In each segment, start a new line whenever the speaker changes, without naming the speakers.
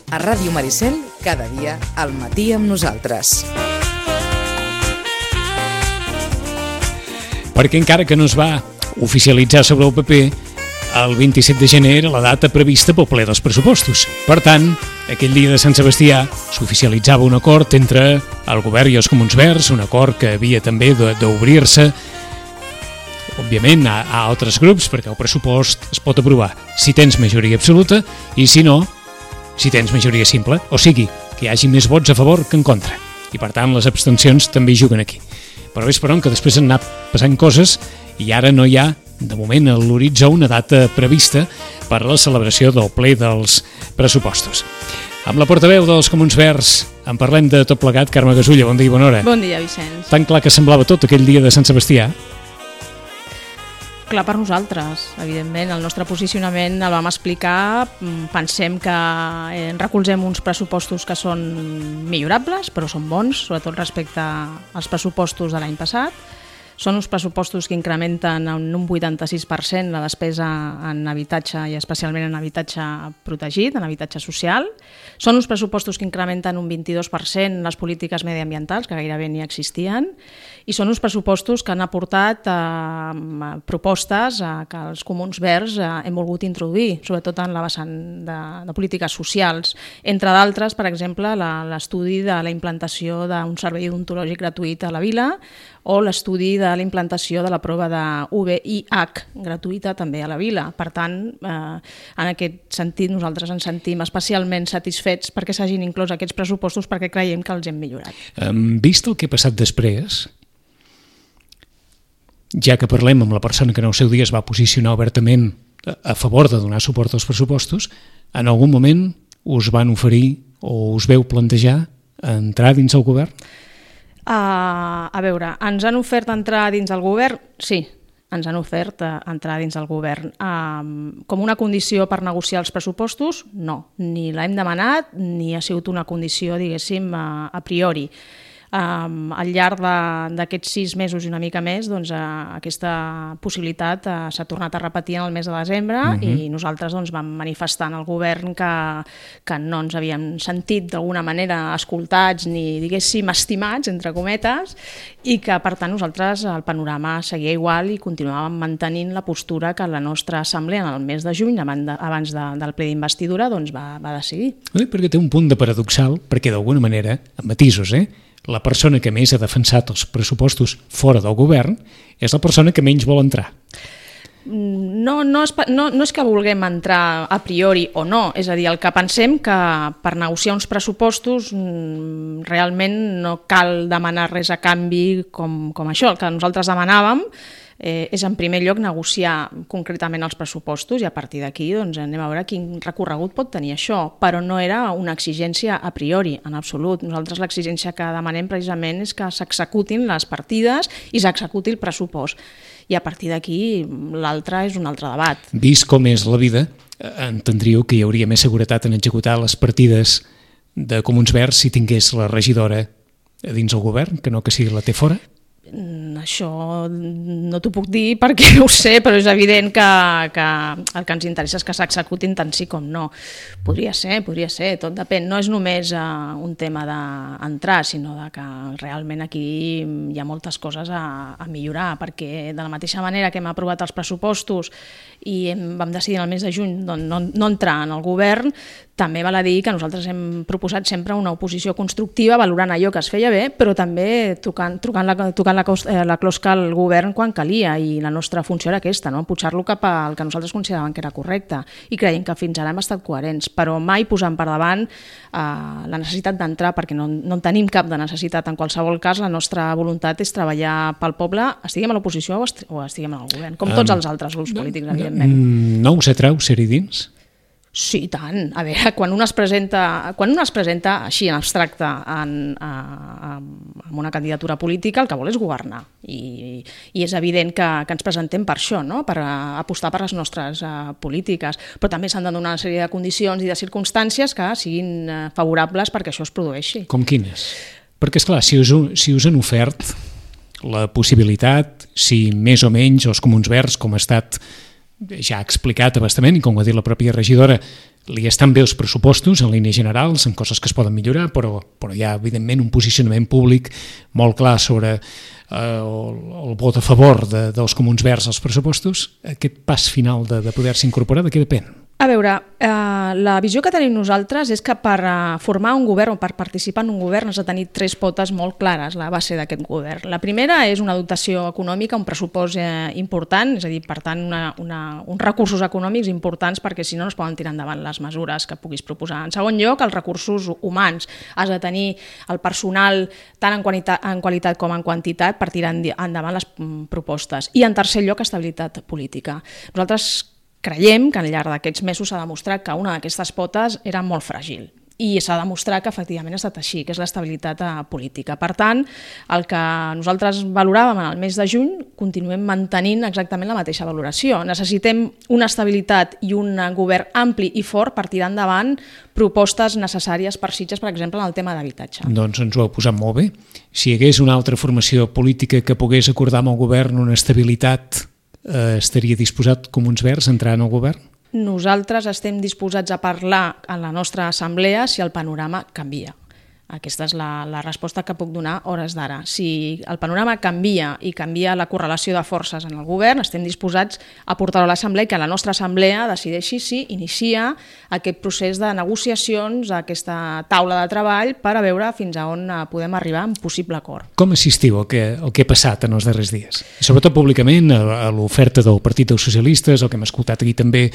A Ràdio Maricel, cada dia al matí amb nosaltres.
Perquè encara que no es va oficialitzar sobre el paper, el 27 de gener era la data prevista pel ple dels pressupostos. Per tant, aquell dia de Sant Sebastià s'oficialitzava un acord entre el govern i els Comuns Verds, un acord que havia també d'obrir-se, òbviament, a altres grups, perquè el pressupost es pot aprovar si tens majoria absoluta i, si no, si tens majoria simple, o sigui, que hi hagi més vots a favor que en contra. I, per tant, les abstencions també juguen aquí. Però ves per on que després han anat passant coses i ara no hi ha, de moment, a l'horitzó una data prevista per a la celebració del ple dels pressupostos. Amb la portaveu dels Comuns Verds en parlem de tot plegat. Carme Gasulla, bon dia i bona hora.
Bon dia, Vicenç.
Tan clar que semblava tot aquell dia de Sant Sebastià.
Clar per nosaltres, evidentment. El nostre posicionament el vam explicar. Pensem que recolzem uns pressupostos que són millorables, però són bons, sobretot respecte als pressupostos de l'any passat. Són uns pressupostos que incrementen en un 86% la despesa en habitatge i especialment en habitatge protegit, en habitatge social. Són uns pressupostos que incrementen un 22% les polítiques mediambientals, que gairebé ni existien. I són uns pressupostos que han aportat propostes que els Comuns Verds hem volgut introduir, sobretot en la vessant de polítiques socials. Entre d'altres, per exemple, l'estudi de la implantació d'un servei odontològic gratuït a la vila o l'estudi de la implantació de la prova de VIH gratuïta també a la vila. Per tant, en aquest sentit, nosaltres ens sentim especialment satisfets perquè s'hagin inclòs aquests pressupostos perquè creiem que els hem millorat.
Vist el que ha passat després, ja que parlem amb la persona que en el seu dia es va posicionar obertament a favor de donar suport als pressupostos, en algun moment us van oferir o us veu plantejar entrar dins el govern?
A veure, ens han ofert entrar dins el govern? Sí, ens han ofert entrar dins el govern. Com una condició per negociar els pressupostos? No, ni l'hem demanat ni ha sigut una condició, diguéssim, a priori. Al llarg d'aquests 6 mesos i una mica més, doncs, aquesta possibilitat s'ha tornat a repetir en el mes de desembre i nosaltres vam manifestar al govern que no ens havíem sentit d'alguna manera escoltats ni, diguéssim, estimats, entre cometes, i que, per tant, nosaltres el panorama seguia igual i continuàvem mantenint la postura que la nostra assemblea en el mes de juny, abans del ple d'investidura, va decidir.
Perquè té un punt de paradoxal, perquè d'alguna manera, amb matisos, la persona que més ha defensat els pressupostos fora del govern és la persona que menys vol entrar.
No és que vulguem entrar a priori o no, és a dir, el que pensem que per negociar uns pressupostos realment no cal demanar res a canvi com això. El que nosaltres demanàvem és en primer lloc negociar concretament els pressupostos i a partir d'aquí anem a veure quin recorregut pot tenir això, però no era una exigència a priori, en absolut. Nosaltres l'exigència que demanem precisament és que s'executin les partides i s'executi el pressupost. I a partir d'aquí l'altre és un altre debat.
Vist com és la vida, entendríeu que hi hauria més seguretat en executar les partides de Comuns Verds si tingués la regidora dins el govern, que no que sigui la té fora?
Això no t'ho puc dir perquè no ho sé, però és evident que el que ens interessa és que s'executin tant sí com no. Podria ser, tot depèn. No és només un tema d'entrar, sinó que realment aquí hi ha moltes coses a millorar, perquè de la mateixa manera que hem aprovat els pressupostos i vam decidir en el mes de juny no entrar en el govern, també val a dir que nosaltres hem proposat sempre una oposició constructiva, valorant allò que es feia bé, però també tocant la closca al govern quan calia, i la nostra funció era aquesta, pujar-lo cap al que nosaltres consideràvem que era correcte, i creiem que fins ara hem estat coherents, però mai posant per davant la necessitat d'entrar, perquè no en tenim cap de necessitat. En qualsevol cas, la nostra voluntat és treballar pel poble, estiguem a l'oposició o estiguem en el govern, com tots els altres grups polítics, evidentment.
No us atreu ser-hi dins?
Sí, tant. A veure, quan un es presenta així en abstracte amb una candidatura política, el que vol és governar. I és evident que ens presentem per això, per apostar per les nostres polítiques. Però també s'han de donar una sèrie de condicions i de circumstàncies que siguin favorables perquè això es produeixi.
Com quines? Perquè, esclar, si us han ofert la possibilitat, si més o menys els Comuns Verds, com ha estat ja ha explicat abastament, i com ho ha dit la pròpia regidora, li estan bé els pressupostos en línies generals, en coses que es poden millorar, però hi ha, evidentment, un posicionament públic molt clar sobre el vot a favor dels Comuns Verds als pressupostos. Aquest pas final de poder-se incorporar, de què depèn?
A veure, la visió que tenim nosaltres és que per formar un govern o per participar en un govern has de tenir 3 potes molt clares, la base d'aquest govern. La primera és una dotació econòmica, un pressupost important, és a dir, per tant, uns recursos econòmics importants perquè si no es poden tirar endavant les mesures que puguis proposar. En segon lloc, els recursos humans. Has de tenir el personal tant en qualitat com en quantitat per tirar endavant les propostes. I en tercer lloc, estabilitat política. Nosaltres creiem que al llarg d'aquests mesos s'ha demostrat que una d'aquestes potes era molt fràgil i s'ha demostrat que efectivament ha estat així, que és l'estabilitat política. Per tant, el que nosaltres valoràvem en el mes de juny, continuem mantenint exactament la mateixa valoració. Necessitem una estabilitat i un govern ampli i fort per tirar endavant propostes necessàries per Sitges, per exemple, en el tema d'habitatge.
Doncs ens ho heu posat molt bé. Si hi hagués una altra formació política que pogués acordar amb el govern una estabilitat, estaria disposat Comuns Verds a entrar en el govern?
Nosaltres estem disposats a parlar en la nostra assemblea si el panorama canvia. Aquesta és la resposta que puc donar a hores d'ara. Si el panorama canvia i canvia la correlació de forces en el govern, estem disposats a portar-ho a l'assemblea i que la nostra assemblea decideixi si inicia aquest procés de negociacions, aquesta taula de treball, per a veure fins a on podem arribar en possible acord.
Com assistiu al que ha passat en els darrers dies? Sobretot públicament, a l'oferta del Partit dels Socialistes, el que hem escoltat aquí també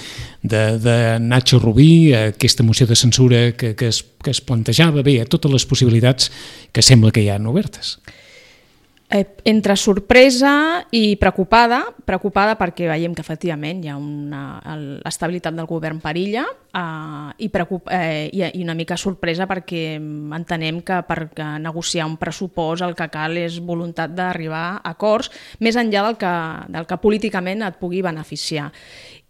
de Nacho Rubí, aquesta moció de censura que es plantejava, bé, a totes les possibilitats que sembla que hi ha obertes.
Entre sorpresa i preocupada perquè veiem que efectivament hi ha l'estabilitat del govern perilla i una mica sorpresa perquè entenem que per negociar un pressupost el que cal és voluntat d'arribar a acords més enllà del que políticament et pugui beneficiar.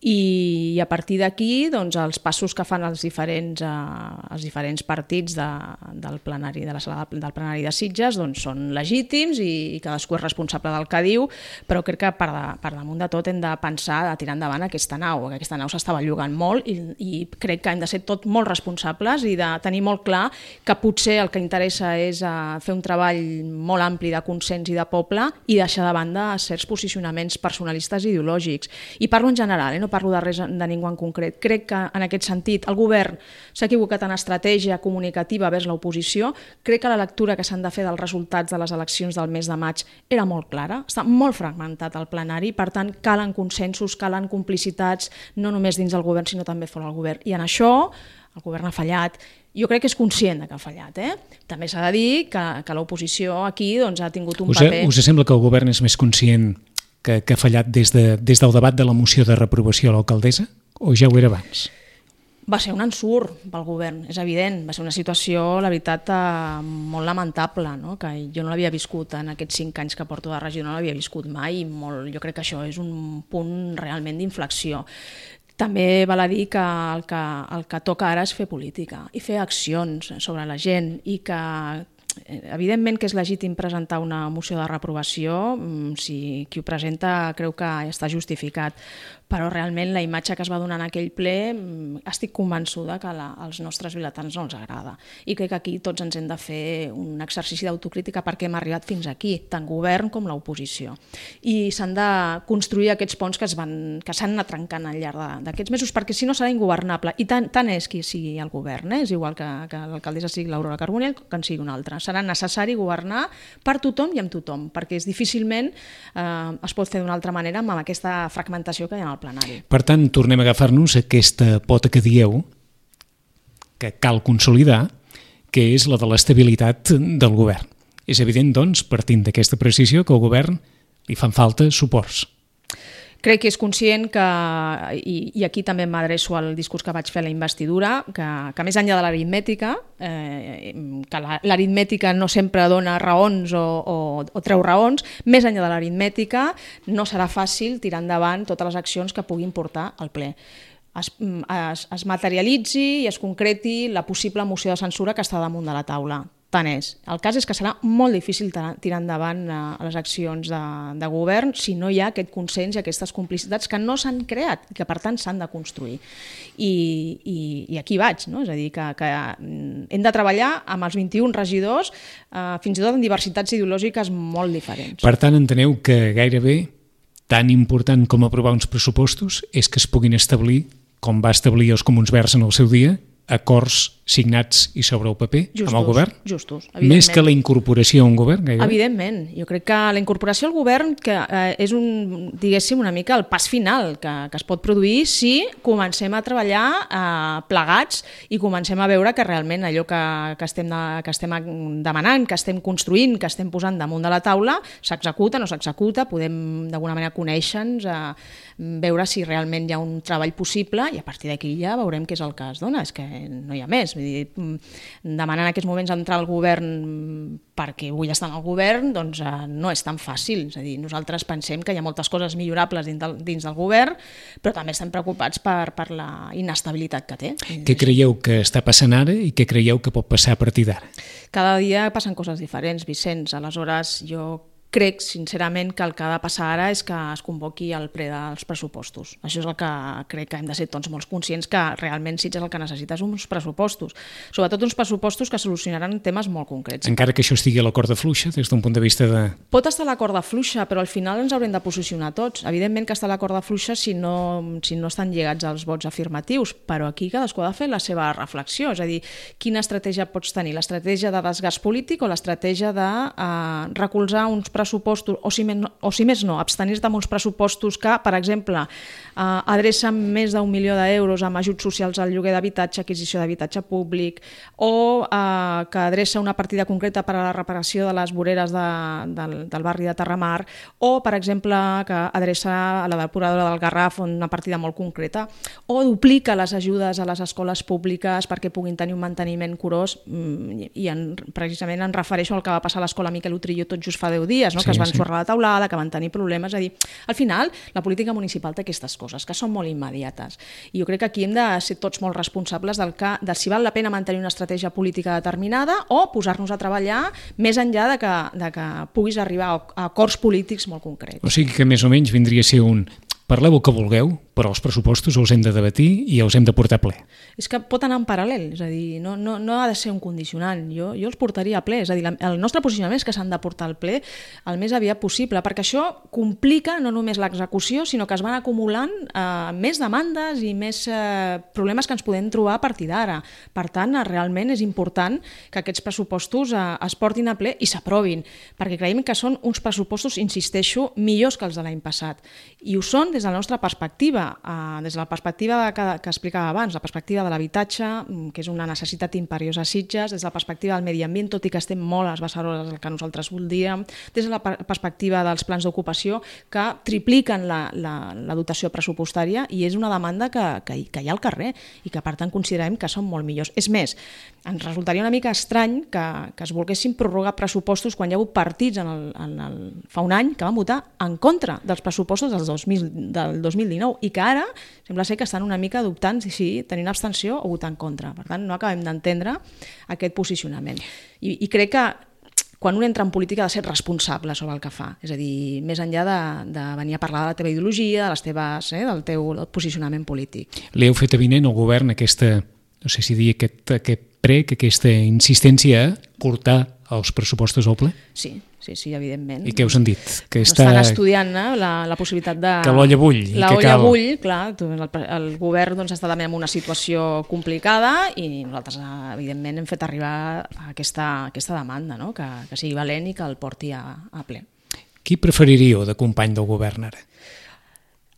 I a partir d'aquí doncs, els passos que fan els diferents partits del plenari, de la sala del plenari de Sitges doncs, són legítims i cadascú és responsable del que diu, però crec que per damunt de tot hem de pensar de tirar endavant aquesta nau, que aquesta nau s'està bellugant molt i crec que hem de ser tots molt responsables i de tenir molt clar que potser el que interessa és fer un treball molt ampli de consens i de poble i deixar de banda certs posicionaments personalistes i ideològics. I parlo en general, no parlo de res de ningú en concret. Crec que en aquest sentit el govern s'ha equivocat en estratègia comunicativa vers l'oposició. Crec que la lectura que s'han de fer dels resultats de les eleccions del mes de maig era molt clara. Està molt fragmentat el plenari, per tant calen consensos, calen complicitats, no només dins del govern sinó també fora del govern. I en això el govern ha fallat. Jo crec que és conscient que ha fallat. També s'ha de dir que l'oposició aquí ha tingut un paper...
Us sembla que el govern és més conscient que ha fallat des del debat de la moció de reprovació a l'alcaldessa? O ja ho era abans?
Va ser un ensurt pel govern, és evident. Va ser una situació, la veritat, molt lamentable, no? Que jo no l'havia viscut en aquests 5 anys que porto de regidor, no l'havia viscut mai. Jo crec que això és un punt realment d'inflexió. També val a dir que el que toca ara és fer política i fer accions sobre la gent i que evidentment que és legítim presentar una moció de reprovació si qui ho presenta creu que està justificat, però realment la imatge que es va donar en aquell ple estic convençuda que als nostres vilatans no els agrada i crec que aquí tots ens hem de fer un exercici d'autocrítica perquè hem arribat fins aquí, tant govern com l'oposició, i s'han de construir aquests ponts que s'han anat trencant al llarg d'aquests mesos perquè si no serà ingovernable, i tant és qui sigui el govern, és igual que l'alcaldessa sigui l'Aurora Carbonell que en sigui un altre. Serà necessari governar per tothom i amb tothom, perquè difícilment es pot fer d'una altra manera amb aquesta fragmentació que hi ha al plenari.
Per tant, tornem a agafar-nos aquesta pota que dieu, que cal consolidar, que és la de l'estabilitat del govern. És evident, doncs, partint d'aquesta precisió, que al govern li fan falta suports.
Crec que és conscient que, i aquí també m'adreço al discurs que vaig fer a la investidura, que més enllà de l'aritmètica, que l'aritmètica no sempre dona raons o treu raons, més enllà de l'aritmètica no serà fàcil tirar endavant totes les accions que puguin portar al ple. Es materialitzi i es concreti la possible moció de censura que està damunt de la taula. tant és. El cas és que serà molt difícil tirar endavant les accions de govern si no hi ha aquest consens i aquestes complicitats que no s'han creat i que per tant s'han de construir. I aquí vaig, no? És a dir, que hem de treballar amb els 21 regidors, fins i tot en diversitats ideològiques molt diferents.
Per tant, enteneu que gairebé tan important com aprovar uns pressupostos és que es puguin establir, com va establir els Comuns Verds en el seu dia, acords signats i sobre el paper amb el govern?
Justos,
Més que la incorporació a un govern, gairebé?
Evidentment. Jo crec que la incorporació al govern que és diguéssim, una mica el pas final que es pot produir si comencem a treballar plegats i comencem a veure que realment allò que estem demanant, que estem construint, que estem posant damunt de la taula, s'executa, no s'executa, podem d'alguna manera conèixer-nos, veure si realment hi ha un treball possible i a partir d'aquí ja veurem què és el que es dona. És que no hi ha més. Vull dir, demanar en aquests moments entrar al govern perquè vull estar en el govern, doncs no és tan fàcil. És a dir, nosaltres pensem que hi ha moltes coses millorables dins del govern, però també estem preocupats per la inestabilitat que té.
Què creieu que està passant ara i què creieu que pot passar a partir d'ara?
Cada dia passen coses diferents, Vicenç. Aleshores, jo crec, sincerament, que el que ha de passar ara és que es convoqui el ple dels pressupostos. Això és el que crec que hem de ser tots molt conscients que realment Sitges el que necessites uns pressupostos. Sobretot uns pressupostos que solucionaran temes molt concrets.
Encara que això estigui a la corda fluixa, des d'un punt de vista de...
Pot estar a la corda fluixa, però al final ens haurem de posicionar tots. Evidentment que està a la corda fluixa si no estan lligats als vots afirmatius, però aquí cadascú ha de fer la seva reflexió. És a dir, quina estratègia pots tenir? L'estratègia de desgast polític o l'estratègia de recolzar uns pressupostos, o si més no, abstenir-te amb uns pressupostos que, per exemple, adrecen més d'1 milió d'euros amb ajuts socials al lloguer d'habitatge, adquisició d'habitatge públic, o que adreça una partida concreta per a la reparació de les voreres del barri de Terramar, o, per exemple, que adreça a la depuradora del Garraf una partida molt concreta, o duplica les ajudes a les escoles públiques perquè puguin tenir un manteniment curós, i precisament em refereixo al que va passar a l'escola Miquel Utrillo tot just fa 10 dies, no? Que es van sorrar la taulada, que van tenir problemes. És a dir, al final, la política municipal té aquestes coses, que són molt immediates. I jo crec que aquí hem de ser tots molt responsables de si val la pena mantenir una estratègia política determinada o posar-nos a treballar més enllà de que puguis arribar a acords polítics molt concrets.
O sigui que més o menys vindria a ser un... Parleu el que vulgueu, però els pressupostos els hem de debatir i els hem de portar a ple.
És que pot anar en paral·lel, és a dir, no ha de ser un condicionant. Jo els portaria a ple, és a dir, el nostre posicionament és que s'han de portar al ple el més aviat possible, perquè això complica no només l'execució, sinó que es van acumulant més demandes i més problemes que ens podem trobar a partir d'ara. Per tant, realment és important que aquests pressupostos es portin a ple i s'aprovin, perquè creiem que són uns pressupostos, insisteixo, millors que els de l'any passat. I ho són des de la nostra perspectiva, des de la perspectiva que explicava abans, la perspectiva de l'habitatge, que és una necessitat imperiosa a Sitges, des de la perspectiva del medi ambient, tot i que estem molt a les beceroles del que nosaltres voldríem, des de la perspectiva dels plans d'ocupació, que tripliquen la dotació pressupostària i és una demanda que hi ha al carrer i que per tant considerem que són molt millors. És més, ens resultaria una mica estrany que es volguessin prorrogar pressupostos quan hi ha hagut partits fa un any que van votar en contra dels pressupostos del 2019 i que ara sembla ser que estan una mica dubtant si tenir abstenció o votar en contra. Per tant, no acabem d'entendre aquest posicionament. I crec que quan un entra en política ha de ser responsable sobre el que fa. És a dir, més enllà de venir a parlar de la teva ideologia, del teu posicionament polític.
Li heu fet avinent al govern aquesta, no sé si dir aquest prec, aquesta insistència a portar els pressupostos al ple?
Sí, evidentment.
I què us han dit? Que
estan estudiant la possibilitat de...
Que l'olla bull.
L'olla bull, clar. El govern està també en una situació complicada i nosaltres, evidentment, hem fet arribar aquesta demanda, no? Que sigui valent i que el porti a ple.
Qui preferiríeu de company del govern ara?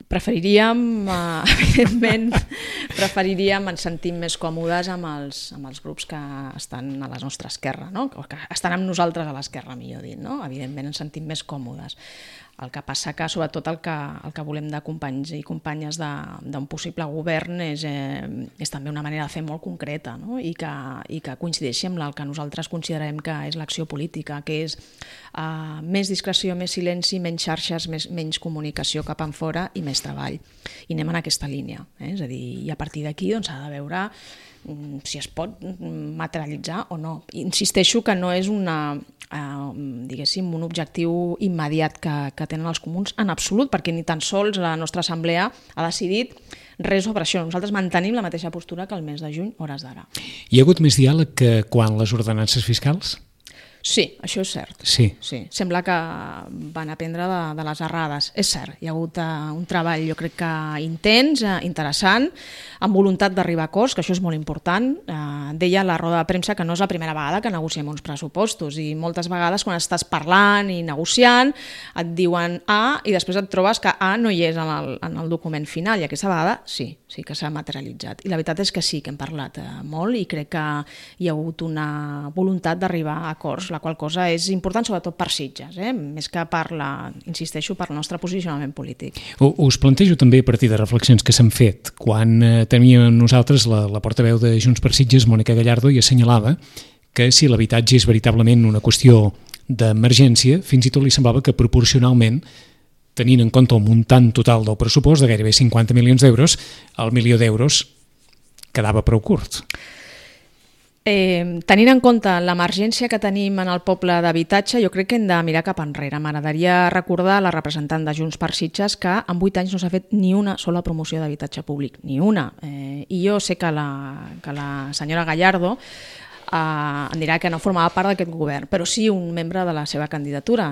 Preferiríem, evidentment, ens sentim més còmodes amb els grups que estan a la nostra esquerra, no? Que estan amb nosaltres a l'esquerra, millor dit, no? Evidentment ens sentim més còmodes. El que passa que, sobretot, el que volem de companys i companyes d'un possible govern és també una manera de fer molt concreta, no? I que coincideixi amb el que nosaltres considerem que és l'acció política, que és més discreció, més silenci, menys xarxes, menys comunicació cap enfora i més treball. I anem en aquesta línia. És a dir, i a partir d'aquí s'ha de veure si es pot materialitzar o no. Insisteixo que no és diguéssim, un objectiu immediat que tenen els comuns en absolut, perquè ni tan sols la nostra assemblea ha decidit res sobre això. Nosaltres mantenim la mateixa postura que el mes de juny, hores d'ara.
Hi ha hagut més diàleg que quan les ordenances fiscals?
Sí, això és cert.
Sí.
Sembla que van aprendre de les errades. És cert, hi ha hagut un treball, jo crec que intens, interessant, amb voluntat d'arribar a acords, que això és molt important. Deia a la roda de premsa que no és la primera vegada que negociem uns pressupostos i moltes vegades quan estàs parlant i negociant et diuen A i després et trobes que A no hi és en el document final i aquesta vegada sí que s'ha materialitzat. I la veritat és que sí que hem parlat molt i crec que hi ha hagut una voluntat d'arribar a acords, la qual cosa és important sobretot per Sitges, més que insisteixo, per el nostre posicionament polític.
Us plantejo també a partir de reflexions que s'han fet. Quan teníem nosaltres la portaveu de Junts per Sitges, Mònica Gallardo, i assenyalava que si l'habitatge és veritablement una qüestió d'emergència, fins i tot li semblava que proporcionalment, tenint en compte el muntant total del pressupost de gairebé 50 milions d'euros, el milió d'euros quedava prou curt.
Tenint en compte l'emergència que tenim en el poble d'habitatge, jo crec que hem de mirar cap enrere. M'agradaria recordar a la representant de Junts per Sitges que en 8 anys no s'ha fet ni una sola promoció d'habitatge públic, ni una. I jo sé que la senyora Gallardo em dirà que no formava part d'aquest govern, però sí un membre de la seva candidatura,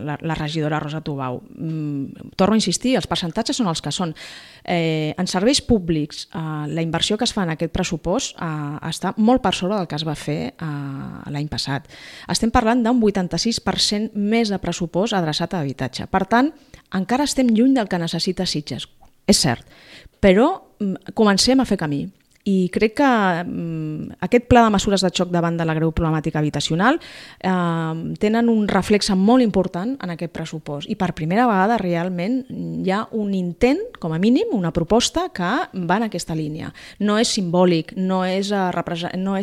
la regidora Rosa Tubau. Torno a insistir, els percentatges són els que són. En serveis públics, la inversió que es fa en aquest pressupost està molt per sobre del que es va fer l'any passat. Estem parlant d'un 86% més de pressupost adreçat a habitatge. Per tant, encara estem lluny del que necessita Sitges, és cert, però comencem a fer camí. I crec que aquest pla de mesures de xoc davant de la greu problemàtica habitacional tenen un reflex molt important en aquest pressupost. I per primera vegada realment hi ha un intent, com a mínim, una proposta que va en aquesta línia. No és simbòlic, no és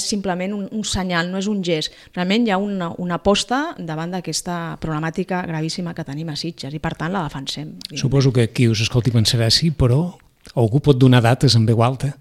simplement un senyal, no és un gest. Realment hi ha una aposta davant d'aquesta problemàtica gravíssima que tenim a Sitges i per tant la defensem.
Suposo que qui us escolti pensarà sí, però algú pot donar dates en veu alta?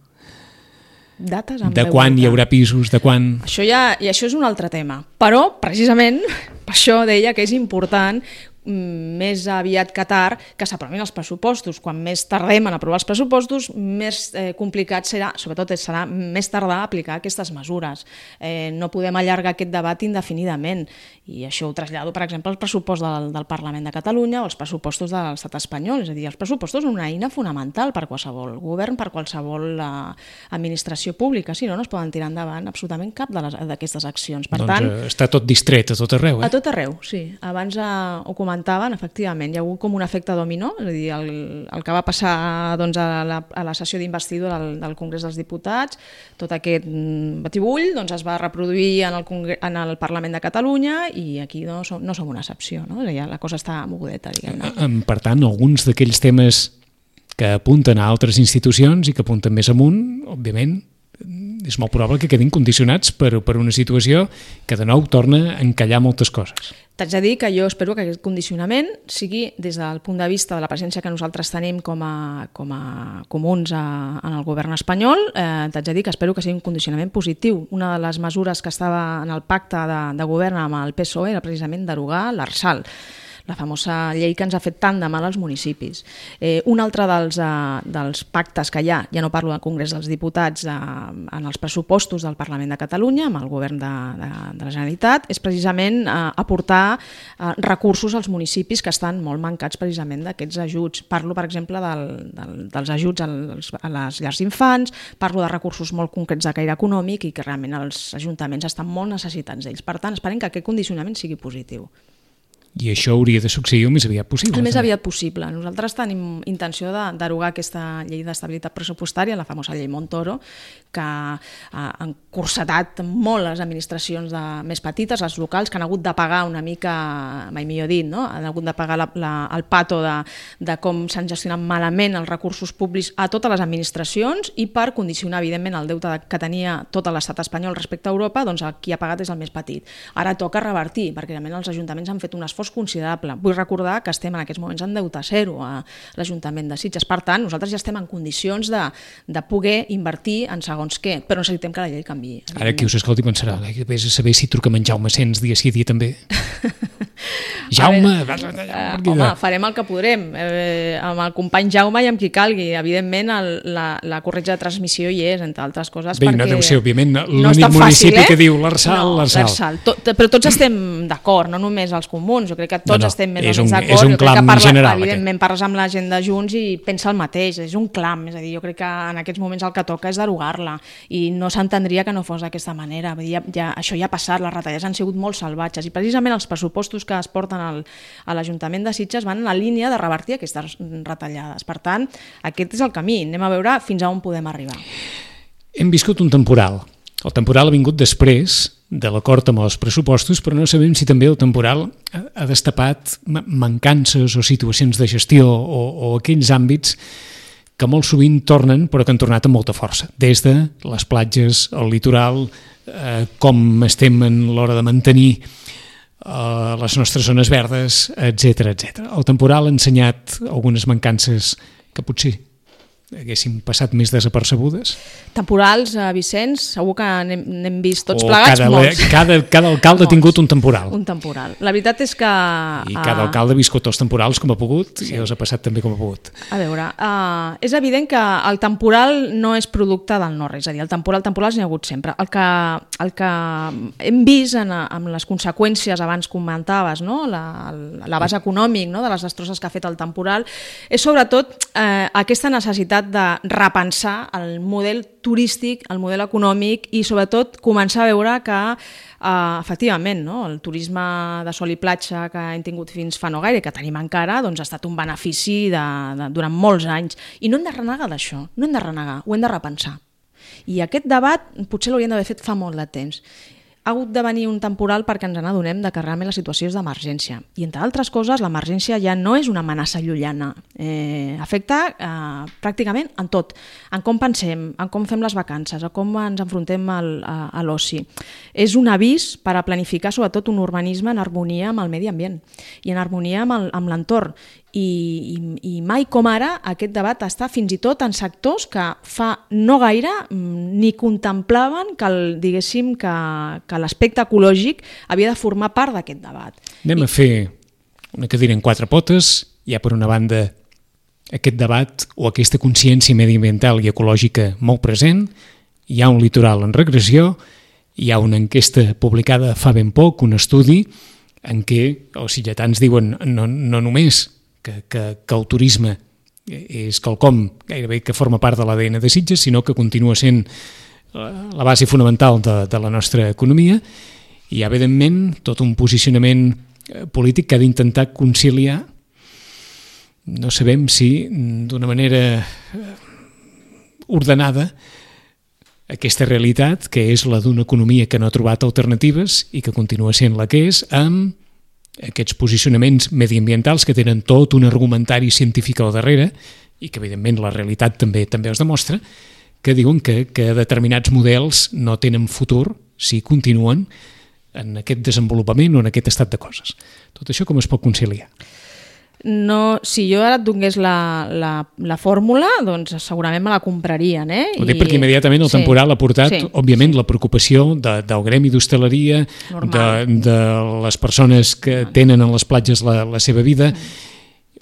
Dates amb
de quan hi haurà pisos, de quan...
I això és un altre tema. Però, precisament, per això deia que és important més aviat que tard que s'aprovin els pressupostos. Quan més tardem en aprovar els pressupostos, més complicat serà, sobretot serà més tardar a aplicar aquestes mesures. No podem allargar aquest debat indefinidament i això ho trasllado, per exemple, al pressupost del Parlament de Catalunya o als pressupostos de l'estat espanyol. És a dir, els pressupostos són una eina fonamental per qualsevol govern, per qualsevol administració pública. Si no, no es poden tirar endavant absolutament cap d'aquestes accions. Per tant,
està tot distret a tot arreu,
A tot arreu, sí. Abans ho comentaven, efectivament, hi ha hagut com un efecte dominó, és a dir, el que va passar a la sessió d'investidura del Congrés dels Diputats, tot aquest batibull es va reproduir en el Parlament de Catalunya i aquí no som una excepció, no? Ja la cosa està mogudeta, diguem-ne.
Per tant, alguns d'aquells temes que apunten a altres institucions i que apunten més amunt, òbviament, és molt probable que quedin condicionats per una situació que de nou torna a encallar moltes coses.
T'haig de dir que jo espero que aquest condicionament sigui des del punt de vista de la presència que nosaltres tenim com a comuns en el govern espanyol, t'haig de dir que espero que sigui un condicionament positiu. Una de les mesures que estava en el pacte de govern amb el PSOE era precisament derogar l'Arsal, la famosa llei que ens ha fet tant de mal als municipis. Un altre dels pactes que hi ha, ja no parlo del Congrés dels Diputats, en els pressupostos del Parlament de Catalunya, amb el govern de la Generalitat, és precisament aportar recursos als municipis que estan molt mancats precisament d'aquests ajuts. Parlo, per exemple, dels ajuts a les llars d'infants, parlo de recursos molt concrets de caire econòmic i que realment els ajuntaments estan molt necessitats d'ells. Per tant, esperem que aquest condicionament sigui positiu.
I això hauria de succeir el més aviat possible.
El més aviat possible. Nosaltres tenim intenció de derogar aquesta llei d'estabilitat pressupostària, la famosa llei Montoro, que ha encursetat molt les administracions més petites, les locals, que han hagut de pagar una mica, mai millor dit, no? Han hagut de pagar el pato de com s'han gestionat malament els recursos públics a totes les administracions i per condicionar, evidentment, el deute que tenia tot l'estat espanyol respecte a Europa, doncs qui ha pagat és el més petit. Ara toca revertir, perquè realment els ajuntaments han fet un esforç considerable. Vull recordar que estem en aquests moments en deute zero a l'Ajuntament de Sitges. Per tant, nosaltres ja estem en condicions de poder invertir en segons què, però necessitem que la llei canviï.
Ara qui us escolti pensarà, vés a saber si truquem en Jaume Sens dia sí dia també. Jaume!
Home, farem el que podrem. Amb el company Jaume i amb qui calgui. Evidentment, la corretja de transmissió hi és, entre altres coses.
Bé, no deu ser, òbviament, l'únic municipi que diu l'Arsal.
Però tots estem d'acord, no només els comuns. Jo crec que tots estem més o menys d'acord.
És un clam general.
Evidentment, parles amb la gent de Junts i pensa el mateix. És un clam. És a dir, jo crec que en aquests moments el que toca és derogar-la. I no s'entendria que no fos d'aquesta manera. Això ja ha passat, les retallades han sigut molt salvatges. I precisament els pressupostos que es porten a l'Ajuntament de Sitges van en la línia de revertir aquestes retallades. Per tant, aquest és el camí. Anem a veure fins a on podem arribar.
Hem viscut un temporal. El temporal ha vingut després de l'acord amb els pressupostos, però no sabem si també el temporal ha destapat mancances o situacions de gestió o aquells àmbits que molt sovint tornen, però que han tornat amb molta força. Des de les platges, el litoral, com estem en l'hora de mantenir les nostres zones verdes, etc. El temporal ha ensenyat algunes mancances que potser haguéssim passat més desapercebudes.
Temporals, Vicenç, segur que n'hem vist tots plegats molts.
Cada alcalde ha tingut un temporal.
Un temporal. La veritat és que...
I cada alcalde ha viscut els temporals com ha pogut i els ha passat també com ha pogut.
A veure, és evident que el temporal no és producte del no-res, és a dir, el temporals n'hi ha hagut sempre. El que hem vist amb les conseqüències, abans comentaves, no? L'abast econòmic, no? De les destrosses que ha fet el temporal, és sobretot aquesta necessitat de repensar el model turístic, el model econòmic i sobretot començar a veure que efectivament, no? El turisme de sol i platja que hem tingut fins fa no gaire, que tenim encara, doncs ha estat un benefici durant molts anys. I no hem de renegar d'això, no hem de renegar, ho hem de repensar. I aquest debat potser l'hauríem d'haver fet fa molt de temps. Ha hagut de venir un temporal perquè ens n'adonem que realment la situació és d'emergència. I, entre altres coses, l'emergència ja no és una amenaça llunyana. Afecta pràcticament en tot. En com pensem, en com fem les vacances, en com ens enfrontem a l'oci. És un avís per a planificar, sobretot, un urbanisme en harmonia amb el medi ambient i en harmonia amb l'entorn. I mai com ara aquest debat està fins i tot en sectors que fa no gaire ni contemplaven diguéssim que l'aspecte ecològic havia de formar part d'aquest debat.
Anem a fer una cadira en quatre potes. Hi ha per una banda aquest debat o aquesta consciència mediambiental i ecològica molt present, hi ha un litoral en regressió, hi ha una enquesta publicada fa ben poc, un estudi en què els sitgetans diuen no només que el turisme és quelcom gairebé que forma part de l'ADN de Sitges, sinó que continua sent la base fonamental de la nostra economia. I hi ha, evidentment, tot un posicionament polític que ha d'intentar conciliar, no sabem si d'una manera ordenada, aquesta realitat, que és la d'una economia que no ha trobat alternatives i que continua sent la que és, amb aquests posicionaments mediambientals que tenen tot un argumentari científic al darrere i que, evidentment, la realitat també es demostra, que diuen que determinats models no tenen futur si continuen en aquest desenvolupament o en aquest estat de coses. Tot això com es pot conciliar?
No, si jo ara et donés la fórmula, doncs segurament me la comprarien.
Ho dic perquè immediatament el temporal ha portat, òbviament, la preocupació del gremi d'hostaleria, de les persones que tenen en les platges la seva vida.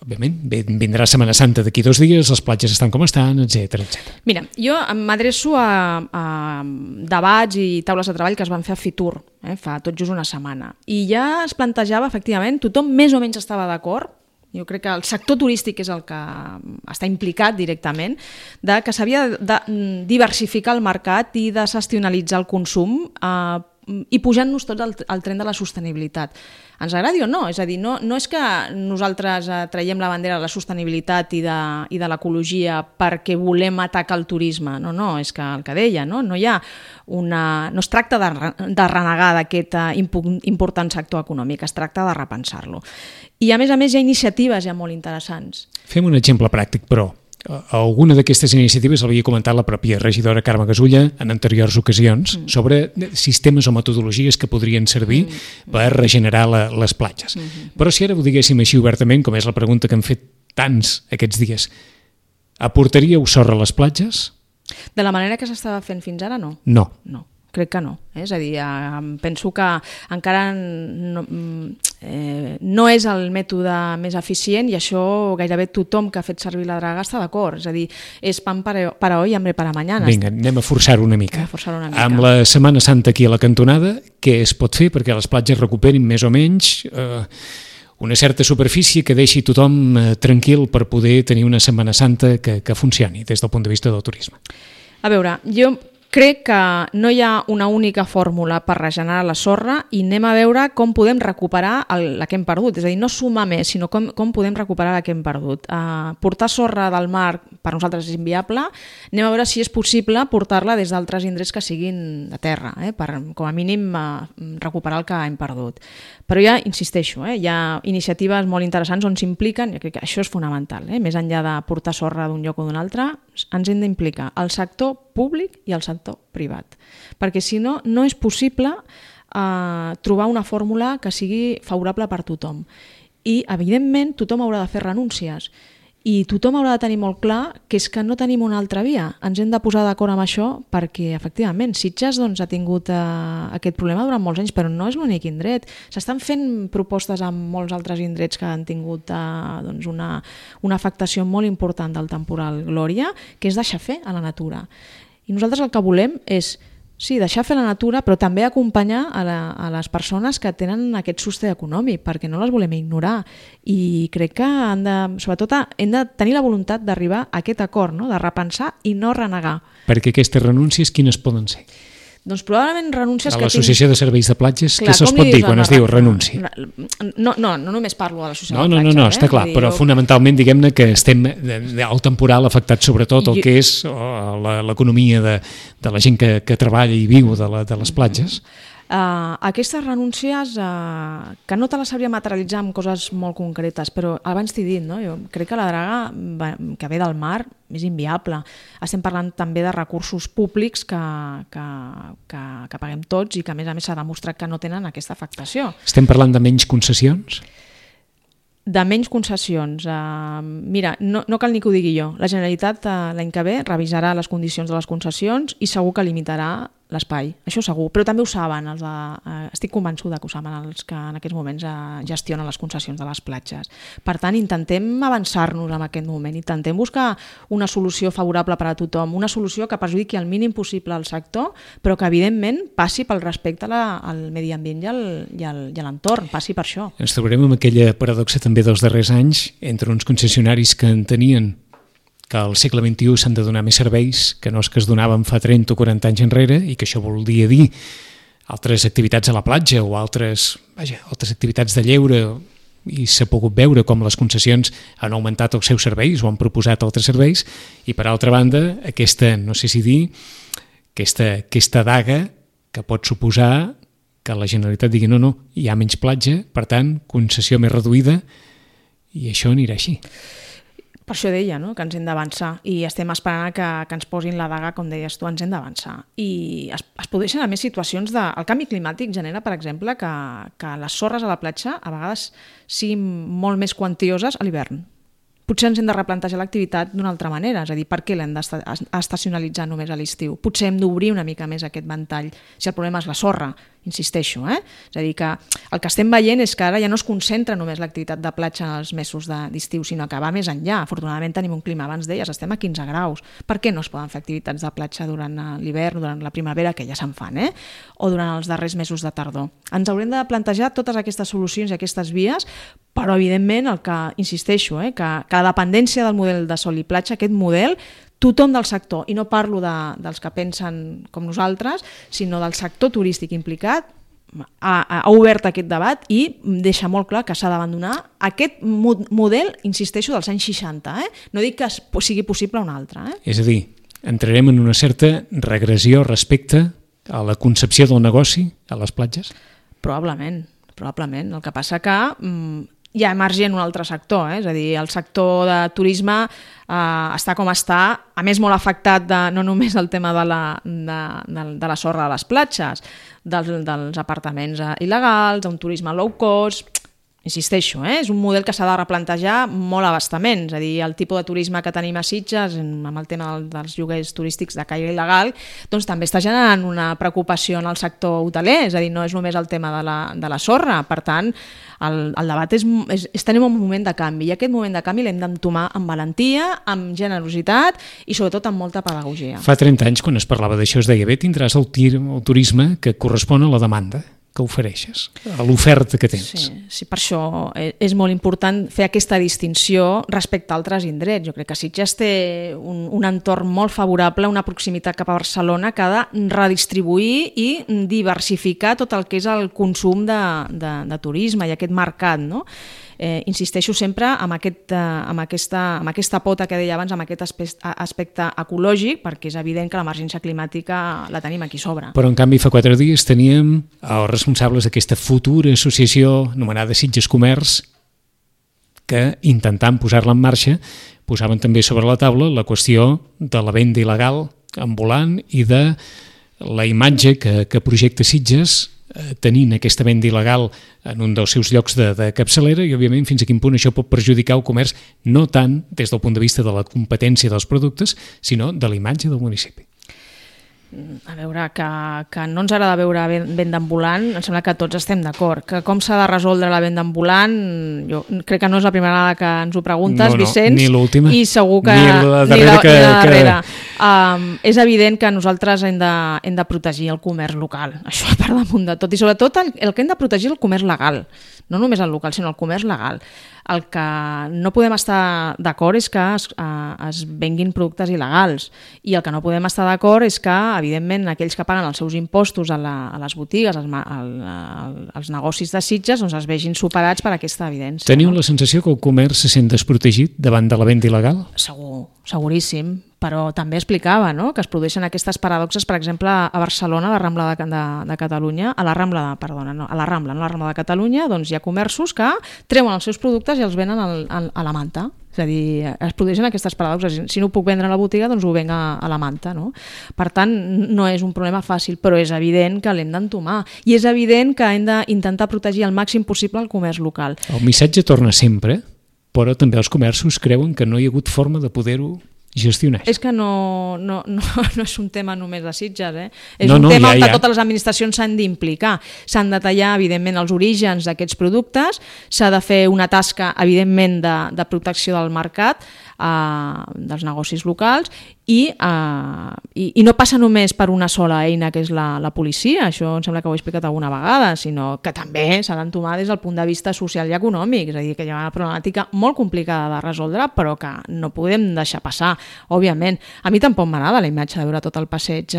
Òbviament, vindrà Setmana Santa d'aquí 2 dies, les platges estan com estan, etc.
Mira, jo m'adreço a debats i taules de treball que es van fer a Fitur, fa tot just una setmana. I ja es plantejava, efectivament, tothom més o menys estava d'acord. Jo crec que el sector turístic és el que està implicat directament, que s'havia de diversificar el mercat i desestacionalitzar el consum i pujant-nos tots al tren de la sostenibilitat. Ens agradi o no? És a dir, no és que nosaltres traiem la bandera de la sostenibilitat i de l'ecologia perquè volem atacar el turisme. No, és que el que deia, no es tracta de renegar d'aquest important sector econòmic, es tracta de repensar-lo. I a més hi ha iniciatives ja molt interessants.
Fem un exemple pràctic, però. Alguna d'aquestes iniciatives l'havia comentat la pròpia regidora Carme Gasulla en anteriors ocasions sobre sistemes o metodologies que podrien servir per regenerar les platges. Però si ara ho diguéssim així obertament, com és la pregunta que hem fet tants aquests dies, aportaríeu sorra a les platges?
De la manera que s'estava fent fins ara, no.
No.
No. Crec que no. És a dir, penso que encara no és el mètode més eficient i això gairebé tothom que ha fet servir la draga està d'acord. És a dir, és pan para hoy, hambre para mañana.
Vinga, anem a forçar-ho una mica. Amb la Setmana Santa aquí a la cantonada, què es pot fer perquè les platges recuperin més o menys una certa superfície que deixi tothom tranquil per poder tenir una Setmana Santa que funcioni des del punt de vista del turisme?
A veure, jo crec que no hi ha una única fórmula per regenerar la sorra i anem a veure com podem recuperar la que hem perdut. És a dir, no sumar més, sinó com podem recuperar la que hem perdut. Portar sorra del mar per nosaltres és inviable. Anem a veure si és possible portar-la des d'altres indrets que siguin de terra, per com a mínim recuperar el que hem perdut. Però ja, insisteixo, hi ha iniciatives molt interessants on s'impliquen, jo crec que això és fonamental, més enllà de portar sorra d'un lloc o d'un altre, ens hem d'implicar el sector públic i el sector privat, perquè si no, no és possible trobar una fórmula que sigui favorable per tothom. I, evidentment, tothom haurà de fer renúncies i tothom haurà de tenir molt clar que és que no tenim una altra via. Ens hem de posar d'acord amb això perquè, efectivament, Sitges ha tingut aquest problema durant molts anys, però no és l'únic indret. S'estan fent propostes amb molts altres indrets que han tingut una afectació molt important del temporal Glòria, que és deixar fer a la natura. I nosaltres el que volem és, sí, deixar fer la natura, però també acompanyar a les persones que tenen aquest sostre econòmic, perquè no les volem ignorar. I crec que sobretot hem de tenir la voluntat d'arribar a aquest acord, de repensar i no renegar.
Perquè aquestes renúncies quines poden ser?
Doncs probablement renúncies que
l'Associació de Serveis de Platges, què se'ls pot dir quan es diu renúncia?
No només parlo de l'Associació
de
Platges.
No, està clar, però fonamentalment diguem-ne que estem al temporal afectat sobretot el que és l'economia de la gent que treballa i viu de les platges.
Aquestes renúncies que no te les sabria materialitzar en coses molt concretes, però abans t'he dit, jo crec que la draga que ve del mar és inviable. Estem parlant també de recursos públics que paguem tots i que a més s'ha demostrat que no tenen aquesta afectació.
Estem parlant de menys concessions?
De menys concessions. Mira, no cal ni que ho digui jo. La Generalitat l'any que ve revisarà les condicions de les concessions i segur que limitarà l'espai, això segur, però també ho saben, estic convençuda que ho saben els que en aquests moments gestionen les concessions de les platges. Per tant, intentem avançar-nos en aquest moment, intentem buscar una solució favorable per a tothom, una solució que perjudiqui el mínim possible al sector, però que evidentment passi pel respecte al medi ambient i a l'entorn, passi per això.
Ens trobarem amb aquella paradoxa també dels darrers anys entre uns concessionaris que entenien que al segle XXI s'han de donar més serveis que no els que es donaven fa 30 o 40 anys enrere i que això volia dir altres activitats a la platja o altres activitats de lleure, i s'ha pogut veure com les concessions han augmentat els seus serveis o han proposat altres serveis, i per altra banda aquesta, no sé si dir, aquesta daga que pot suposar que la Generalitat digui no, hi ha menys platja, per tant, concessió més reduïda, i això anirà així.
Per això deia, que ens hem d'avançar i estem esperant que ens posin la daga, com deies tu, ens hem d'avançar. I es produeixen a més situacions el canvi climàtic genera, per exemple, que les sorres a la platja a vegades siguin molt més quantioses a l'hivern. Potser ens hem de replantejar l'activitat d'una altra manera, és a dir, per què l'hem d'estacionalitzar només a l'estiu? Potser hem d'obrir una mica més aquest ventall, si el problema és la sorra, insisteixo. És a dir, que el que estem veient és que ara ja no es concentra només l'activitat de platja en els mesos d'estiu, sinó que va més enllà. Afortunadament tenim un clima, abans deies, estem a 15 graus. Per què no es poden fer activitats de platja durant l'hivern, durant la primavera, que ja se'n fan, o durant els darrers mesos de tardor? Ens haurem de plantejar totes aquestes solucions i aquestes vies, però evidentment el que insisteixo, que la dependència del model de sol i platja, aquest model tothom del sector, i no parlo dels que pensen com nosaltres, sinó del sector turístic implicat, ha obert aquest debat i deixa molt clar que s'ha d'abandonar aquest model, insisteixo, dels anys 60. No dic que sigui possible un altre.
És a dir, entrarem en una certa regressió respecte a la concepció del negoci a les platges?
Probablement. El que passa que hi ha emergent un altre sector, és a dir, el sector de turisme està com està, a més molt afectat no només el tema de la sorra de les platges, dels apartaments il·legals, d'un turisme low cost. Insisteixo, és un model que s'ha de replantejar molt abastament, és a dir, el tipus de turisme que tenim a Sitges amb el tema dels lloguers turístics de caire il·legal, doncs també està generant una preocupació en el sector hoteler, és a dir, no és només el tema de la sorra. Per tant, el debat estem en un moment de canvi, i aquest moment de canvi l'hem d'entomar amb valentia, amb generositat i sobretot amb molta pedagogia.
Fa 30 anys, quan es parlava d'això, es deia, bé, tindràs el turisme que correspon a la demanda que ofereixes, a l'oferta que tens.
Sí, per això és molt important fer aquesta distinció respecte a altres indrets. Jo crec que Sitges té un entorn molt favorable, una proximitat cap a Barcelona que ha de redistribuir i diversificar tot el que és el consum de turisme i aquest mercat, no? Insisteixo sempre amb aquesta pota que deia abans, amb aquest aspecte ecològic, perquè és evident que l'emergència climàtica la tenim aquí sobre.
Però en canvi fa 4 dies teníem els responsables d'aquesta futura associació anomenada Sitges Comerç, que intentant posar-la en marxa posaven també sobre la taula la qüestió de la venda il·legal ambulant i de la imatge que projecta Sitges tenint aquesta venda il·legal en un dels seus llocs de capçalera, i òbviament fins a quin punt això pot perjudicar el comerç, no tant des del punt de vista de la competència dels productes, sinó de la imatge del municipi.
A veure, que no ens agrada veure venda ambulant, em sembla que tots estem d'acord. Que com s'ha de resoldre la venda ambulant, jo crec que no és la primera vegada que ens ho preguntes, Vicenç,
ni l'última,
i segur que
ni la darrera.
És evident que nosaltres hem de protegir el comerç local, això per damunt de tot, i sobretot el que hem de protegir és el comerç legal, no només el local, sinó el comerç legal. El que no podem estar d'acord és que es venguin productes il·legals, i el que no podem estar d'acord és que, evidentment, aquells que paguen els seus impostos a les botigues, als negocis de Sitges, doncs es vegin superats per aquesta evidència.
Teniu la sensació que el comerç se sent desprotegit davant de la venda il·legal?
Segur, seguríssim, però també explicava, no?, que es produeixen aquestes paradoxes, per exemple, a Barcelona, a la Rambla de Catalunya, a la Rambla de Catalunya, doncs hi ha comerços que treuen els seus productes i els venen a la manta. És a dir, es produeixen aquestes paradoxes. Si no ho puc vendre a la botiga, doncs ho venc a la manta, no? Per tant, no és un problema fàcil, però és evident que l'hem d'entomar. I és evident que hem d'intentar protegir al màxim possible el comerç local.
El missatge torna sempre, però també els comerços creuen que no hi ha hagut forma de poder-ho gestionar.
És que no és un tema només de Sitges, és un tema on totes les administracions s'han d'implicar. S'han de tallar, evidentment, els orígens d'aquests productes, s'ha de fer una tasca, evidentment, de protecció del mercat, dels negocis locals, i no passa només per una sola eina, que és la policia, això em sembla que ho he explicat alguna vegada, sinó que també s'ha d'entomar des del punt de vista social i econòmic, és a dir, que hi ha una problemàtica molt complicada de resoldre, però que no podem deixar passar. Òbviament, a mi tampoc m'agrada la imatge de veure tot el passeig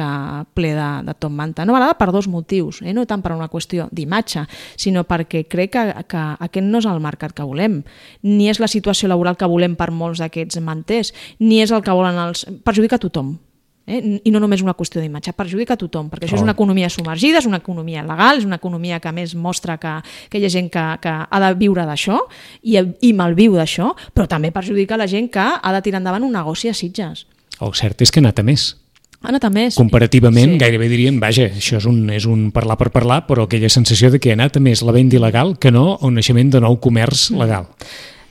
ple de top manta. No m'agrada per 2 motius, no tant per una qüestió d'imatge, sinó perquè crec que aquest no és el mercat que volem, ni és la situació laboral que volem per molts d'aquests manters, ni és el que volen perjudica a tothom. I no només una qüestió d'imatge, perjudica a tothom, perquè això és una economia submergida, és una economia legal, és una economia que a més mostra que hi ha gent que ha de viure d'això i malviu d'això, però també perjudica la gent que ha de tirar endavant un negoci a Sitges.
El cert és que ha anat a més.
Ha anat a més.
Comparativament, gairebé diríem, vaja, això és un parlar per parlar, però aquella sensació de que ha anat a més la venda il·legal que no el naixement de nou comerç legal.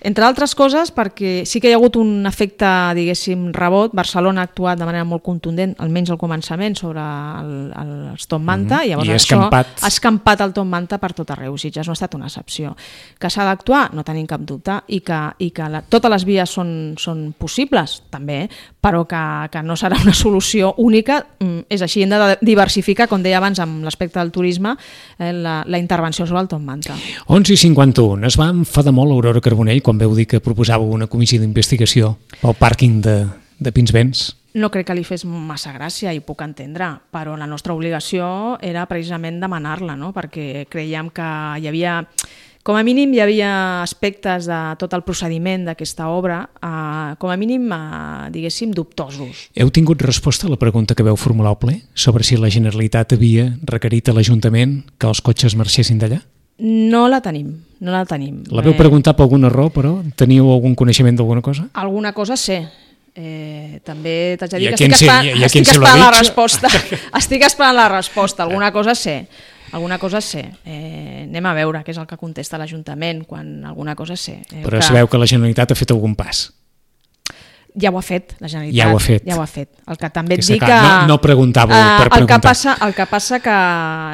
Entre altres coses, perquè sí que hi ha hagut un efecte, diguéssim, rebot. Barcelona ha actuat de manera molt contundent, almenys al començament, sobre els top manta, i llavors això ha escampat el top manta per tot arreu. Sitges no ha estat una excepció. Que s'ha d'actuar? No tenim cap dubte, i que totes les vies són possibles, també, però que no serà una solució única. És així, hem de diversificar, com deia abans, amb l'aspecte del turisme, la intervenció sobre el top manta.
11:51. Es va enfadar molt l'Aurora Carbonell quan veu dir que proposàveu una comissió d'investigació pel pàrquing de Pinsbens.
no crec que li fes massa gràcia i puc entendre, però la nostra obligació era precisament demanar-la, no? Perquè creiem que hi havia, com a mínim hi havia aspectes de tot el procediment d'aquesta obra, com a mínim, diguéssim, dubtosos.
Heu tingut resposta a la pregunta que veu formular al ple sobre si la Generalitat havia requerit a l'Ajuntament que els cotxes marxessin d'allà?
No la tenim, no la tenim.
La veu preguntar per algun error, però? Teniu algun coneixement d'alguna cosa?
Alguna cosa sé. També t'haig de dir
I a
que
qui
estic
se l'ha
esperant la
dit?
resposta. Estic esperant la resposta, alguna cosa sé. Anem a veure què és el que contesta l'Ajuntament quan alguna cosa sé.
Però sabeu que la Generalitat ha fet algun pas?
Ja ho ha fet, la Generalitat.
Ja ho ha fet.
El que també et dic que...
No preguntàveu per preguntar.
El que passa que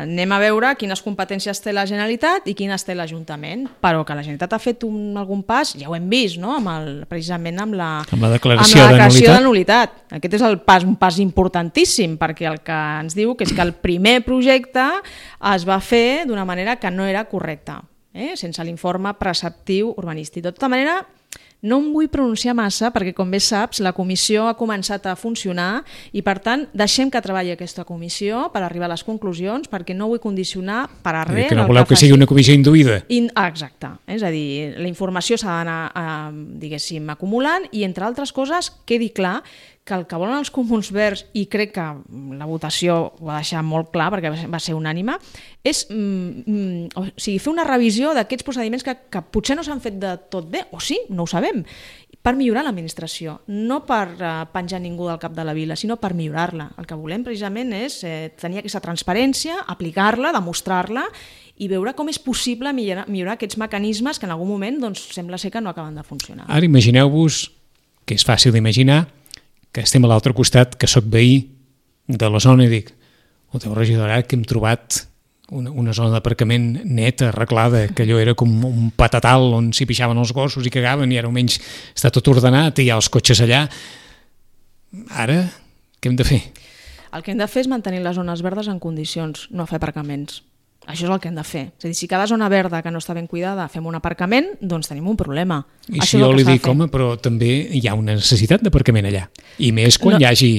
anem a veure quines competències té la Generalitat i quines té l'Ajuntament, però que la Generalitat ha fet algun pas, ja ho hem vist, no? Precisament amb la
declaració
de nul·litat. Aquest és un pas importantíssim, perquè el que ens diu que és que el primer projecte es va fer d'una manera que no era correcta, sense l'informe preceptiu urbanístic. De tota manera, no em vull pronunciar massa perquè, com bé saps, la comissió ha començat a funcionar i, per tant, deixem que treballi aquesta comissió per arribar a les conclusions, perquè no vull condicionar per a res...
Que no voleu que sigui una comissió induïda.
Exacte. És a dir, la informació s'ha d'anar, diguéssim, acumulant i, entre altres coses, quedi clar que el que volen els Comuns Verds, i crec que la votació ho va deixar molt clar perquè va ser unànime, és fer una revisió d'aquests procediments que potser no s'han fet de tot bé, o sí, no ho sabem, per millorar l'administració, no per penjar ningú del cap de la vila, sinó per millorar-la. El que volem precisament és tenir aquesta transparència, aplicar-la, demostrar-la i veure com és possible millorar aquests mecanismes que en algun moment sembla ser que no acaben de funcionar.
Ara imagineu-vos, que és fàcil d'imaginar, que estem a l'altre costat, que sóc veí de la zona i dic, Déu regidor, ara que hem trobat una zona d'aparcament neta, arreglada, que allò era com un patatal on s'hi pixaven els gossos i cagaven i ara almenys està tot ordenat i hi ha els cotxes allà. Ara, què hem de fer?
El que hem de fer és mantenir les zones verdes en condicions, no fer aparcaments. Això és el que hem de fer. És a dir, si cada zona verda que no està ben cuidada fem un aparcament, doncs tenim un problema.
I si jo li dic, home, però també hi ha una necessitat d'aparcament allà. I més quan hi hagi...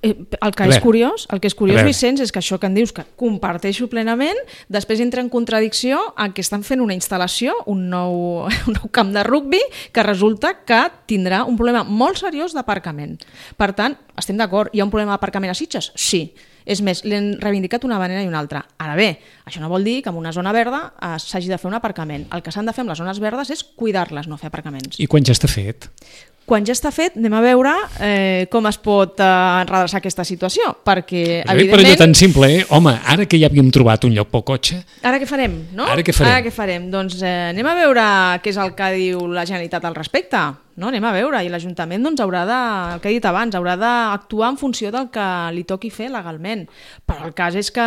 El que és curiós, Vicenç, és que això que em dius que comparteixo plenament, després entra en contradicció en què estan fent una instal·lació, un nou camp de rugbi, que resulta que tindrà un problema molt seriós d'aparcament. Per tant, estem d'acord, hi ha un problema d'aparcament a Sitges? Sí. És més, l'hem reivindicat d'una manera i una altra. Ara bé, això no vol dir que en una zona verda s'hagi de fer un aparcament. El que s'han de fer amb les zones verdes és cuidar-les, no fer aparcaments.
I quan ja està fet?
Quan ja està fet, anem a veure com es pot redreçar aquesta situació, perquè, evidentment...
Per allò tan simple, home, ara que ja havíem trobat un lloc pel cotxe...
Ara què farem, no?
Ara què farem?
Doncs anem a veure què és el que diu la Generalitat al respecte. No, anem a veure, i l'Ajuntament haurà de, el que he dit abans, haurà d'actuar en funció del que li toqui fer legalment. Però el cas és que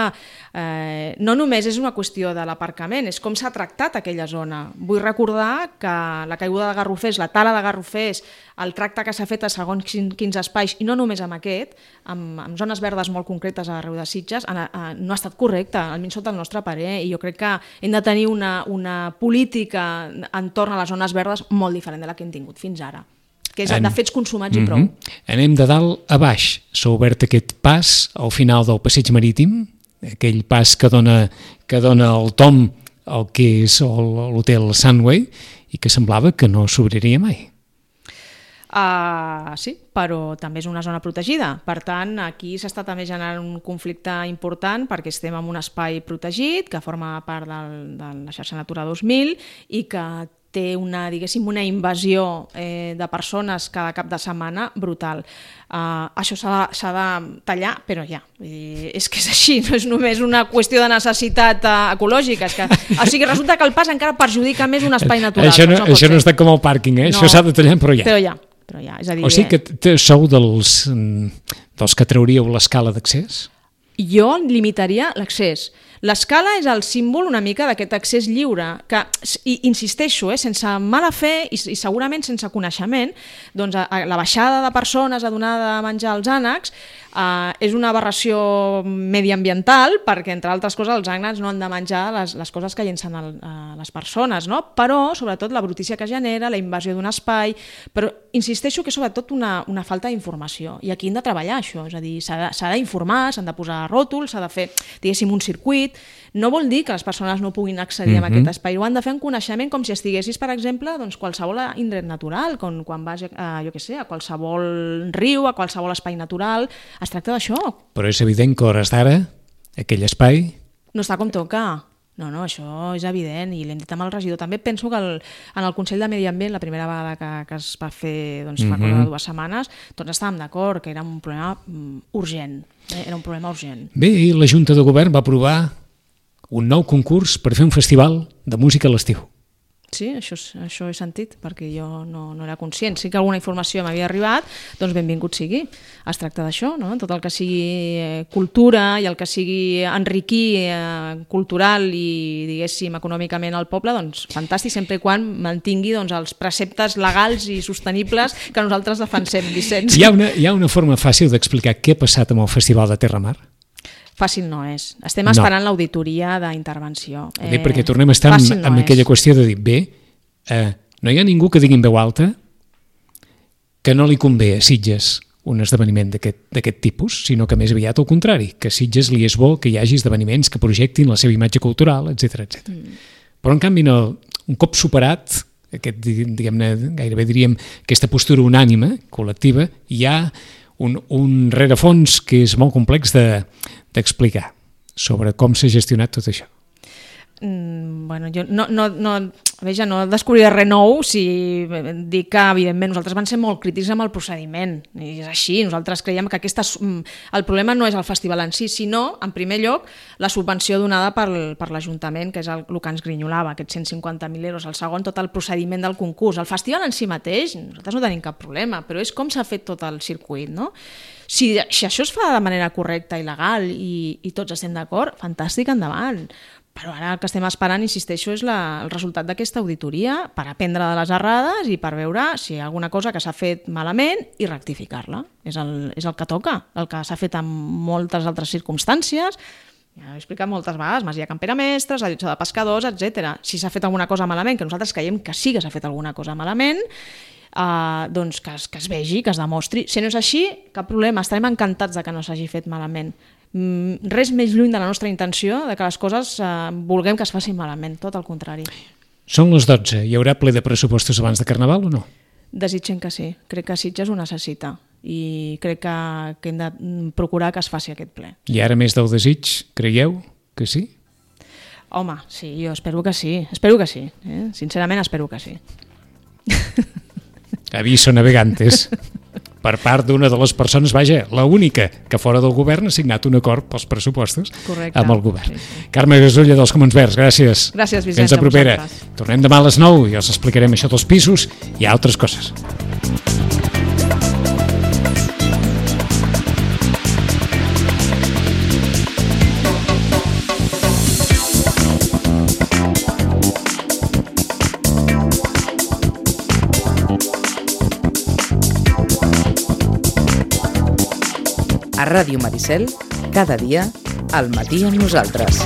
no només és una qüestió de l'aparcament, és com s'ha tractat aquella zona. Vull recordar que la caiguda de garrofers, la tala de garrofers, el tracte que s'ha fet a segons quins espais, i no només amb aquest, amb zones verdes molt concretes arreu de Sitges, no ha estat correcte, almenys sota el nostre parer, i jo crec que hem de tenir una política entorn a les zones verdes molt diferent de la que hem tingut fins ara, que és de fets consumats i prou.
Anem de dalt a baix. S'ha obert aquest pas al final del passeig marítim, aquell pas que dona el tom al que és l'hotel Sunway i que semblava que no s'obriria mai.
Sí, però també és una zona protegida. Per tant, aquí s'està també generant un conflicte important perquè estem en un espai protegit que forma part de la xarxa Natura 2000 i que té una invasió de persones cada cap de setmana brutal. Això s'ha de tallar, però ja. És que és així, no és només una qüestió de necessitat ecològica. O sigui, resulta que el pas encara perjudica més un espai natural.
Això no està com el pàrquing, això s'ha de tallar, però ja.
És a dir,
o sigui que sou dels que trauríeu l'escala d'accés?
jo limitaria l'accés. L'escala és el símbol una mica d'aquest accés lliure, que, i insisteixo, sense mala fe i segurament sense coneixement, doncs la baixada de persones a donar de menjar als ànecs és una aberració mediambiental, perquè, entre altres coses, els ànecs no han de menjar les coses que llencen les persones, no? Però, sobretot, la brutícia que genera, la invasió d'un espai, però insisteixo que és sobretot una falta d'informació, i aquí hem de treballar això, és a dir, s'ha d'informar, s'han de posar ròtols, s'ha de fer, diguéssim, un circuit. No vol dir que les persones no puguin accedir a aquest espai, ho han de fer en coneixement, com si estiguessis, per exemple, doncs, qualsevol indret natural, quan vas a qualsevol riu, a qualsevol espai natural. Es tracta d'això.
Però és evident que a hores d'ara aquell espai
no està com toca. No, això és evident, i l'hem dit amb el regidor. També penso que en el Consell de Medi Ambient, la primera vegada que es va fer fa cosa de 2 setmanes, tots estàvem d'acord que era un problema urgent. Era un problema urgent.
Bé, i la Junta de Govern va aprovar un nou concurs per fer un festival de música a l'estiu.
Sí, això he sentit, perquè jo no era conscient. Sí que alguna informació m'havia arribat, doncs benvingut sigui. Es tracta d'això, no? Tot el que sigui cultura i el que sigui enriquir cultural i, diguéssim, econòmicament al poble, doncs fantàstic, sempre i quan mantingui els preceptes legals i sostenibles que nosaltres defensem, Vicenç.
Hi ha una forma fàcil d'explicar què ha passat amb el Festival de Terramar?
Fàcil no és. Estem esperant l'auditoria d'intervenció.
Perquè tornem a estar amb aquella qüestió de dir, no hi ha ningú que digui en veu alta que no li convé a Sitges un esdeveniment d'aquest tipus, sinó que més aviat al contrari, que a Sitges li és bo que hi hagi esdeveniments que projectin la seva imatge cultural, etc. Però en canvi, un cop superat gairebé diríem aquesta postura unànime, col·lectiva, hi ha un rerefons que és molt complex d'explicar sobre com s'ha gestionat tot això.
Bueno, jo no descobriré res nou si dic que, evidentment, nosaltres vam ser molt crítics amb el procediment, i és així. Nosaltres creiem que el problema no és el festival en si, sinó, en primer lloc, la subvenció donada per l'Ajuntament, que és el que ens grinyolava, aquests 150.000 euros. El segon, tot el procediment del concurs. El festival en si mateix, nosaltres no tenim cap problema, però és com s'ha fet tot el circuit, no? Si això es fa de manera correcta i legal i tots estem d'acord, fantàstic, endavant. Però ara el que estem esperant, insisteixo, és el resultat d'aquesta auditoria per aprendre de les errades i per veure si hi ha alguna cosa que s'ha fet malament i rectificar-la. És el que toca, el que s'ha fet en moltes altres circumstàncies. Ja he explicat moltes vegades, Masia Campera Mestres, la Llotja de Pescadors, etc. Si s'ha fet alguna cosa malament, que nosaltres creiem que sí que s'ha fet alguna cosa malament, doncs que es vegi, que es demostri. Si no és així, cap problema, estarem encantats de que no s'hagi fet malament. Res més lluny de la nostra intenció de que les coses vulguem que es facin malament, tot el contrari.
Són les 12, hi haurà ple de pressupostos abans de Carnaval o no?
Desitgem que sí, crec que Sitges ho necessita i crec que hem de procurar que es faci aquest ple.
I ara més del desig, creieu que sí?
Home, sí, jo espero que sí, sincerament espero que sí.
Aviso navegantes. Per part d'una de les persones, la única que fora del govern ha signat un acord pels pressupostos.
Correcte.
Amb el govern.
Sí.
Carme Gasulla, dels Comons Verds, gràcies.
Gràcies, Vicenç,
fins a propera. Tornem demà a les 9 i els explicarem això dels pisos i altres coses.
A Ràdio Maricel, cada dia, al matí amb nosaltres.